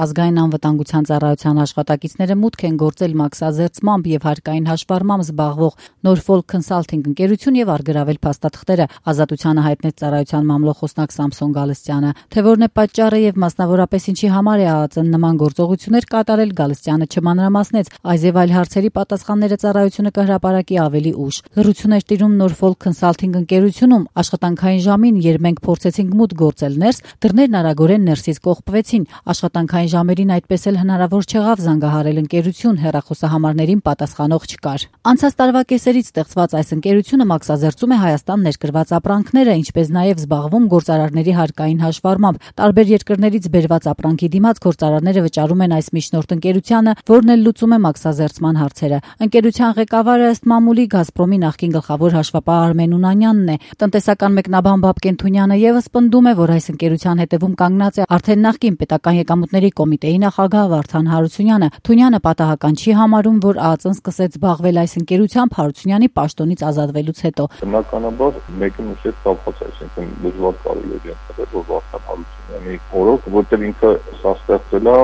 Ազգային անվտանգության ծառայության աշխատակիցները մուտք են գործել մաքսազերծմամբ եւ հարկային հաշվառմամբ զբաղվող Norfolk Consulting ընկերություն եւ առգրավել փաստաթղթերը, Ազատությանը հայտնեց ծառայության մամլոխոսնակ Սամսոն Գալստյանը։ Թե որն է պատճառը եւ մասնավորապես ինչի համար է ԱԱԾ-ն նման գործողություններ կատարել, Գալստյանը չմանրամասնեց, այլ այլ հարցերի պատասխանները ծառայությունը կհրապարակի ավելի ուշ։ Լռություն էր տիրում Norfolk Consulting ընկերությունում աշխատանքային ժամին, երբ մենք փորձեցինք մուտք գործել ներս, դռներն արագորեն ներսից կողպվեցին։ Աշխատանքային ժամերին այդպես էլ հնարավոր չեղավ զանգահարել ընկերություն, հեռախոսահամարներին պատասխանող չկար։ Անցած տարվա կեսերից ստեղծված այս ընկերությունը մաքսազերծում է Հայաստան ներկրված ապրանքները, ինչպես նաև զբաղվում գործարարների հարկային հաշվառմամբ։ Տարբեր երկրներից բերված ապրանքի դիմաց գործարարները վճարում են այս միջնորդ ընկերությանը, որն էլ լուծում է մաքսազերծման հարցերը։ Ընկերության ղեկավարը ըստ մամուլի Գազպրոմի նախկին գլխավոր հաշվապահ Արմեն Ունանյանն է։ Տնտեսական մեկնաբան Բաբկեն Թունյանը եւս պնդում է, որ այս ընկերության հետևում կանգնած է արդեն նախկին պետական եկամուտների կոմիտեի նախագահ Վարդան Հարությունյանը։ Թունյանը պատահական չի համարում, որ ԱԱԾ-ն սկսեց զբաղվել այս ընկերությամբ Հարությունյանի պաշտոնից ազատվելուց հետո։ Բնականաբար մեկը մյուսի հետ կապված է, այսինքն դժվար կարելի է ենթադրել, որ Վարդան Հարությունյանի օրոք, որտեղ ինքը սա ստեղծել է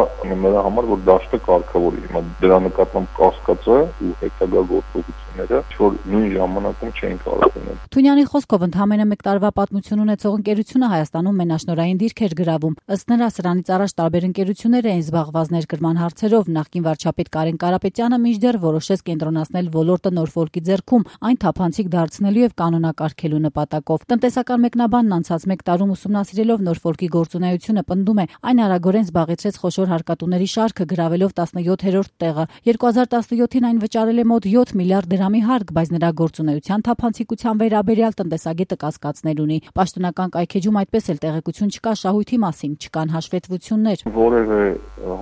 նրա համար, որ դաշտը կարգավորի։ Հիմա դրա նկատմամբ կասկածը ու հետագա գործողությունները, որ նույն ժամանակում չէին կարող լինել։ Թունյանի խոսքով ընդամենը 1 տարվա պատմություն ունեցող ընկերությունը Հայաստանում մենաշնորհային դիրք էր գրավում։ Ըստ նրա, սրանից առաջ տարբեր ընկերություններ էին զբաղված ներկրման հարցերով։ Նախկին վարչապետ Կարեն Կարապետյանը մինչդեռ որոշեց կենտրոնացնել ոլորտը Նորֆոլկի ձեռքում, այն թափանցիկ դարձնելու եւ կանոնակարգելու նպատակով։ Տնտեսական մեկնաբանն անցած 1 տարում ուսումնասիրելով Նորֆոլկի գործունեությունը պնդում է, այն արագորեն զբաղեցրեց խոշոր հարկատուների շարքը, գրավելով 17-րդ տեղը։ 2017-ին այն վճարել է մոտ 7 միլիարդ դրամի հարկ, բայց նրա գործունեության թափանցիկության վերաբերյալ տնտեսագետը կասկածներ ունի։ Պաշտոնական կայքեջում այդպես էլ տեղեկություն չկա շահույթի մասին, չկան հաշվետվություններ։ Որևէ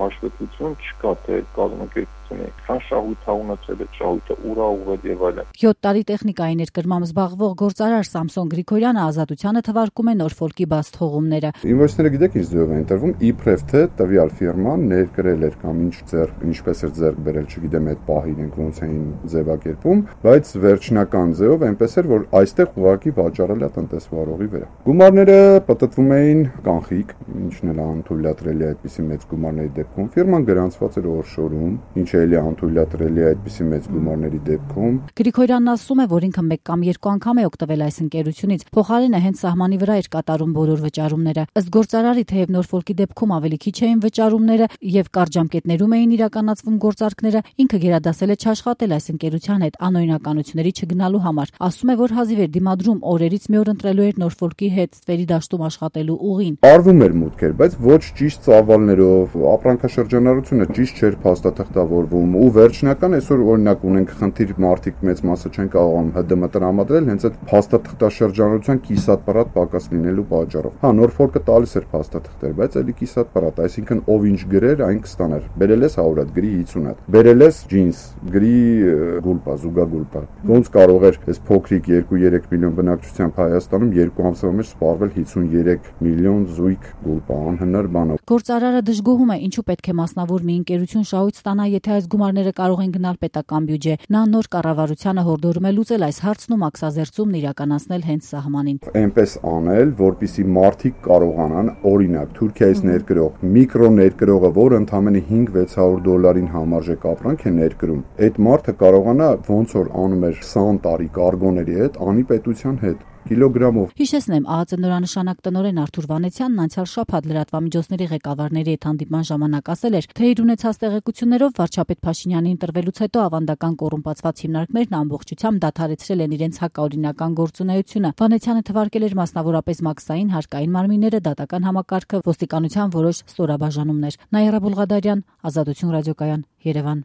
հաշվետվություն չկա, թե կազմակերպությունը քան շահույթ է ունեցել, շահույթը ուր է ուղղել եւ այլն։ 7 տարի տեխնիկայի ներկրմամբ զբաղվող գործարար Սամսոն Գրիգորյանը Ազատությանը թվարկում է Նորֆոլկի բաց թողումները։ Ինվոյսները գիտեք ինչ ձև են տրվում, իբրև թե տվյալ ֆիրման ներկրել էր կամ ինչպես էր ձեռք բերել, չգիտեմ այդ պահին ենք ոնց էին ձևակերպում, բայց վերջնական ձևով այնպես էր, որ այստեղ ուղղակի վաճառել է տնտեսվարողի վրա։ Գումարները պատտվում էին կանխիկ, ինչն էլ անթույլատրելի է այդպիսի մեծ գումարների դեպքում։ Ֆիրման գրանցված էր օրշորում, ինչը էլ անթույլատրելի է այդպիսի մեծ գումարների դեպքում։ Գրիգորյանն ասում է, որ ինքը 1 կամ 2 անգամ է օգտվել այս ընկերությունից, փոխարենը հենց սահմանի վրա էր կատարում բոլոր վճարումները։ Ըստ գործարարի, թեև Նորֆոլկի դեպքում ավելի քիչ էին վճարումները եւ կարճ ժամկետներում էին իրականացվում գործարքները, ինքը գերադասել է չաշխատել այս ընկերության հետ անօրինականությունների չգնալու համար։ Ասում է, որ հազիվ էր դիմադրում, օրերից մի օր ընտրելու էր Նորֆոլկի հետ ստվերի դաշտում աշխատելու ուղին։ Արվում էր մուտքեր, բայց ոչ ճիշտ ծավալներով, ապրանքաշրջանառությունը ճիշտ չէր փաստաթղթավորվում ու վերջնական այսօր օրինակ ունենք խնդիր մարդիկ մեծ մասը չեն կարողանում ՀԴՄ տրամադրել հենց այդ փաստաթղթաշրջանառության կիսատպարատ պակաս լինելու պատճառով։ Հա, Նորֆոլկը տալիս էր փաստաթղթեր, բայց էլի կիսատպարատ, այսինքն ով ինչ գրեր, այն կստանար։ Բերել ես 100 հատ, գրի 50 հատ։ Բերել ես ջինս, գրի գուլպա, զուգագուլպա։ Ոնց կարող էր այս փոքրիկ 2-3 միլիոն բնակչությամբ Հայաստանում 2 ամսվա մեջ սպառվել 53 միլիոն զույգ գուլպա, անհնար բան է։ Գործարարը դժգոհում է, ինչու պետք է մասնավոր մի ընկերություն շահույթ ստանա, եթե այս գումարները կարող են գնալ պետական բյուջե։ Նա նոր կառավարությանը հորդորում է լուծել այս հարցն ու մաքսազերծումն իրականացնել հենց սահմանին։ Այնպես անել, որպեսզի մարդիկ կարողանան, օրինակ, Թուրքիայից ներկրող միկրո ներկրողը, որը ընդամենը $500-600 համարժեք ապրանք է ներկրում, այդ մարդը կարողանա ոնց որ անում էր 20 տարի կարգոների հետ, անի պետության հետ կիլոգրամով։ Հիշեցնեմ, ԱԱԾ նորանշանակ տնօրեն Արթուր Վանեցյանն անցյալ շաբաթ լրատվամիջոցների ղեկավարների հետ հանդիպման ժամանակ ասել էր, թե իր ունեցած տեղեկություններով վարչապետ Փաշինյանի ընտրվելուց հետո ավանդական կոռումպացված հիմնարկներն ամբողջությամբ դադարեցրել են իրենց հակաօրինական գործունեությունը։ Վանեցյանը թվարկել էր մասնավորապես մաքսային հարկային մարմինները, դատական համակարգը, ոստիկանության որոշ ստորաբաժանումներ։ Նաիրա Բուլղադարյան, Ազատություն ռադիոկայան, Երևան։